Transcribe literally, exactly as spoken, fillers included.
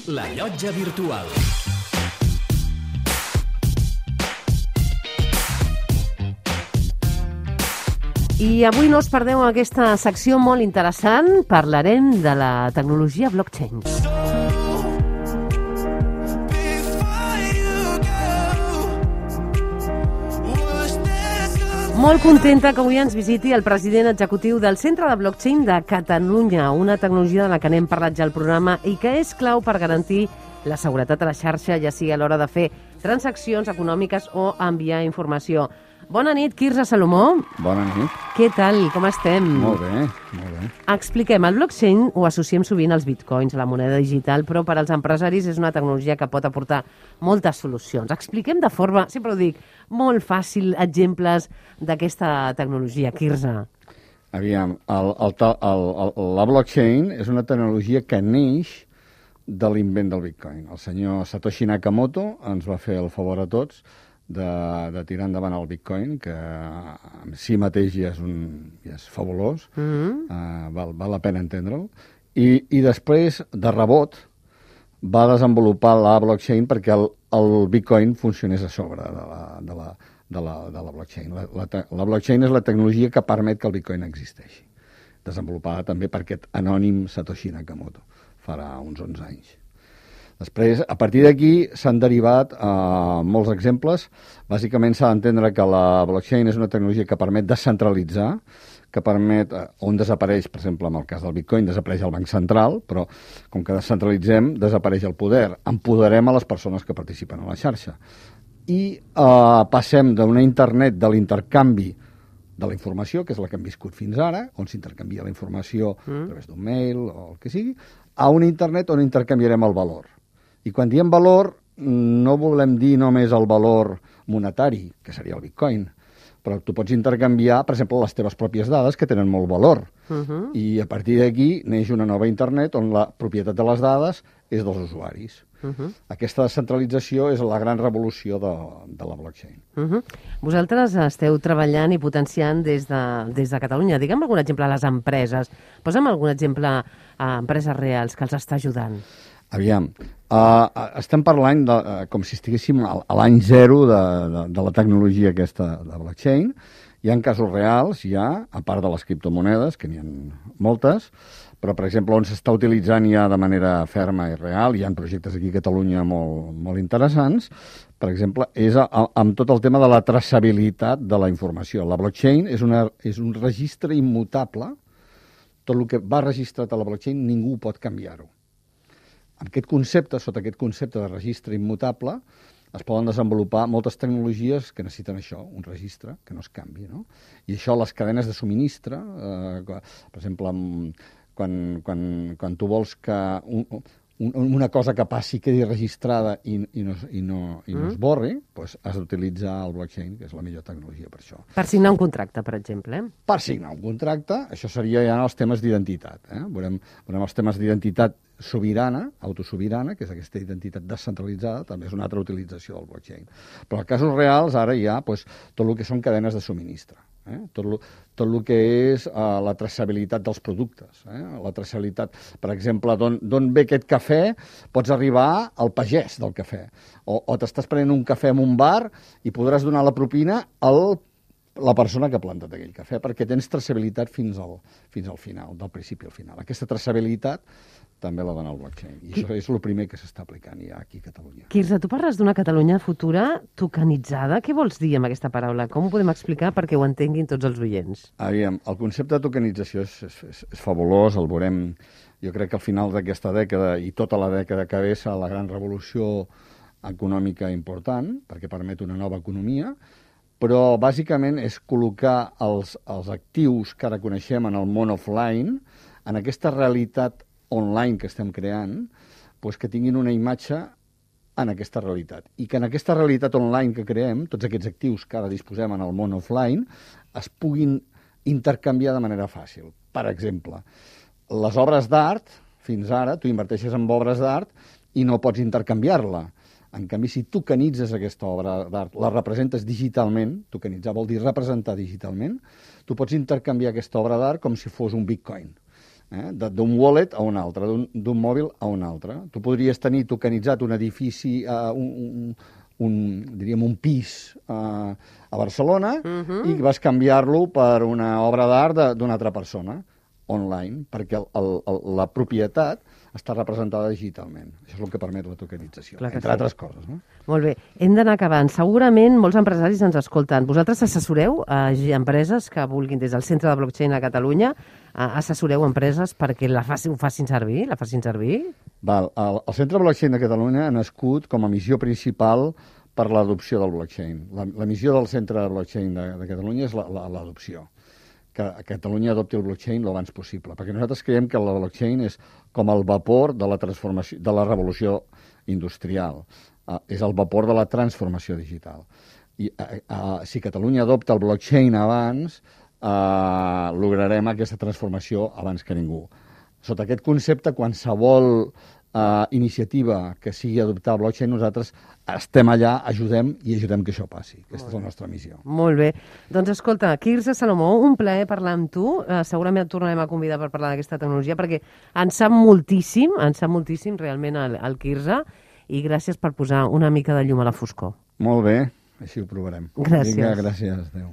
La Llotja Virtual. I avui no us perdeu aquesta secció molt interessant. Parlarem de la tecnologia blockchain. Molt contenta que avui ens visiti el president executiu del Centre de Blockchain de Catalunya, una tecnologia de la que n'hem parlat ja al programa i que és clau per garantir la seguretat a la xarxa, ja sigui a l'hora de fer transaccions econòmiques o enviar informació. Bona nit, Quirze Salomó. Bona nit. Què tal? Com estem? Molt bé, molt bé. Expliquem, el blockchain ho associem sovint als bitcoins, a la moneda digital, però per als empresaris és una tecnologia que pot aportar moltes solucions. Expliquem de forma, sempre ho dic, molt fàcil, exemples d'aquesta tecnologia, Quirze. Aviam, el, el, el, el, la blockchain és una tecnologia que neix de l'invent del bitcoin. El senyor Satoshi Nakamoto ens va fer el favor a tots de, de tirar endavant el bitcoin, que en si mateix ja és, un, ja és fabulós, mm-hmm. uh, val, val la pena entendre'l, I, i després, de rebot, va desenvolupar la blockchain perquè el, el bitcoin funcionés a sobre de la, de la, de la, de la blockchain. La, la, la blockchain és la tecnologia que permet que el bitcoin existeixi, desenvolupada també per aquest anònim Satoshi Nakamoto, farà uns onze anys. Després, a partir d'aquí, s'han derivat eh, molts exemples. Bàsicament s'ha d'entendre que la blockchain és una tecnologia que permet descentralitzar, que permet, eh, on desapareix, per exemple, en el cas del bitcoin, desapareix el banc central, però com que descentralitzem, desapareix el poder. Empoderem a les persones que participen a la xarxa. I eh, passem d'una internet de l'intercanvi de la informació, que és la que hem viscut fins ara, on s'intercanvia la informació mm. a través d'un mail o el que sigui, a una internet on intercanviarem el valor. I quan diem valor, no volem dir només el valor monetari, que seria el bitcoin, però tu pots intercanviar, per exemple, les teves pròpies dades, que tenen molt valor. Uh-huh. I a partir d'aquí neix una nova internet on la propietat de les dades és dels usuaris. Uh-huh. Aquesta descentralització és la gran revolució de, de la blockchain. Uh-huh. Vosaltres esteu treballant i potenciant des de, des de Catalunya. Digue'm algun exemple a les empreses. Posa'm algun exemple a empreses reals que els està ajudant. Aviam, uh, estem parlant de, uh, com si estiguéssim a, a l'any zero de, de, de la tecnologia aquesta de blockchain. Hi ha casos reals, ja, a part de les criptomonedes, que n'hi ha moltes, però, per exemple, on s'està utilitzant ja de manera ferma i real, hi ha projectes aquí a Catalunya molt, molt interessants, per exemple, és a, a, amb tot el tema de la traçabilitat de la informació. La blockchain és, una, és un registre immutable, tot el que va registrat a la blockchain ningú pot canviar-ho. Amb aquest concepte, sota aquest concepte de registre immutable, es poden desenvolupar moltes tecnologies que necessiten això, un registre que no es canvi, no? I això, les cadenes de subministre, eh, per exemple, quan, quan, quan tu vols que un, un, una cosa que passi quedi registrada i, i, no, i, no, i no mm. es borri, doncs has d'utilitzar el blockchain, que és la millor tecnologia per això. Per signar un contracte, per exemple. Eh? Per signar un contracte, això seria ja els temes d'identitat. Eh? Veurem, veurem els temes d'identitat sobirana, autosobirana, que és aquesta identitat descentralitzada, també és una altra utilització del blockchain. Però en casos reals, ara hi ha pues, tot el que són cadenes de subministre, eh? tot, lo, tot el que és uh, la traçabilitat dels productes, eh? la traçabilitat, per exemple, d'on ve aquest cafè, pots arribar al pagès del cafè, o, o t'estàs prenent un cafè en un bar i podràs donar la propina al la persona que ha plantat aquell cafè, perquè tens traçabilitat fins al, fins al final, del principi al final. Aquesta traçabilitat també la dona el blockchain. I Qui... això és el primer que s'està aplicant ja aquí a Catalunya. Quirze, tu parles d'una Catalunya futura tokenitzada. Què vols dir amb aquesta paraula? Com ho podem explicar perquè ho entenguin tots els oients? Aviam, el concepte de tokenització és, és, és, és fabulós, el veurem, jo crec que al final d'aquesta dècada i tota la dècada que ve serà la gran revolució econòmica important, perquè permet una nova economia, però bàsicament és col·locar els, els actius que ara coneixem en el món offline, en aquesta realitat online que estem creant, doncs que tinguin una imatge en aquesta realitat. I que en aquesta realitat online que creem, tots aquests actius que ara disposem en el món offline, es puguin intercanviar de manera fàcil. Per exemple, les obres d'art, fins ara, tu inverteixes en obres d'art i no pots intercanviar-la. En canvi, si tokenitzes aquesta obra d'art, la representes digitalment, tokenitzar vol dir representar digitalment, tu pots intercanviar aquesta obra d'art com si fos un bitcoin. eh? d'un wallet a un altre, d'un mòbil a un altre. Tu podries tenir tokenitzat un edifici, uh, un, un, un, diríem, un pis uh, a Barcelona uh-huh. i vas canviar-lo per una obra d'art d'una altra persona, online, perquè el, el, el, la propietat està representada digitalment. Això és el que permet la tokenització, entre sí. altres coses. No? Molt bé. Hem d'anar acabant. Segurament molts empresaris ens escolten. Vosaltres assessoreu a empreses que vulguin, des del Centre de Blockchain a Catalunya, assessoreu empreses perquè la facin, ho facin servir? La facin servir? Val. El, el Centre de Blockchain de Catalunya ha nascut com a missió principal per l'adopció del blockchain. La, la missió del Centre de Blockchain de, de Catalunya és l'adopció. Que a Catalunya adopti el blockchain lo abans possible, perquè nosaltres creiem que el blockchain és com el vapor de la transformació, de la revolució industrial. Uh, és el vapor de la transformació digital. I uh, uh, si Catalunya adopta el blockchain abans, uh, lograrem aquesta transformació abans que ningú. Sota aquest concepte, qualsevol uh, iniciativa que sigui adoptar el blockchain, nosaltres estem allà, ajudem i ajudem que això passi. Aquesta és la nostra missió. Molt bé. Doncs escolta, Quirze Salomó, un plaer parlar amb tu. Uh, segurament et tornarem a convidar per parlar d'aquesta tecnologia, perquè en sap moltíssim, en sap moltíssim realment el, el Quirze, i gràcies per posar una mica de llum a la foscor. Molt bé, així ho provarem. Gràcies. Vinga, gràcies. Adéu.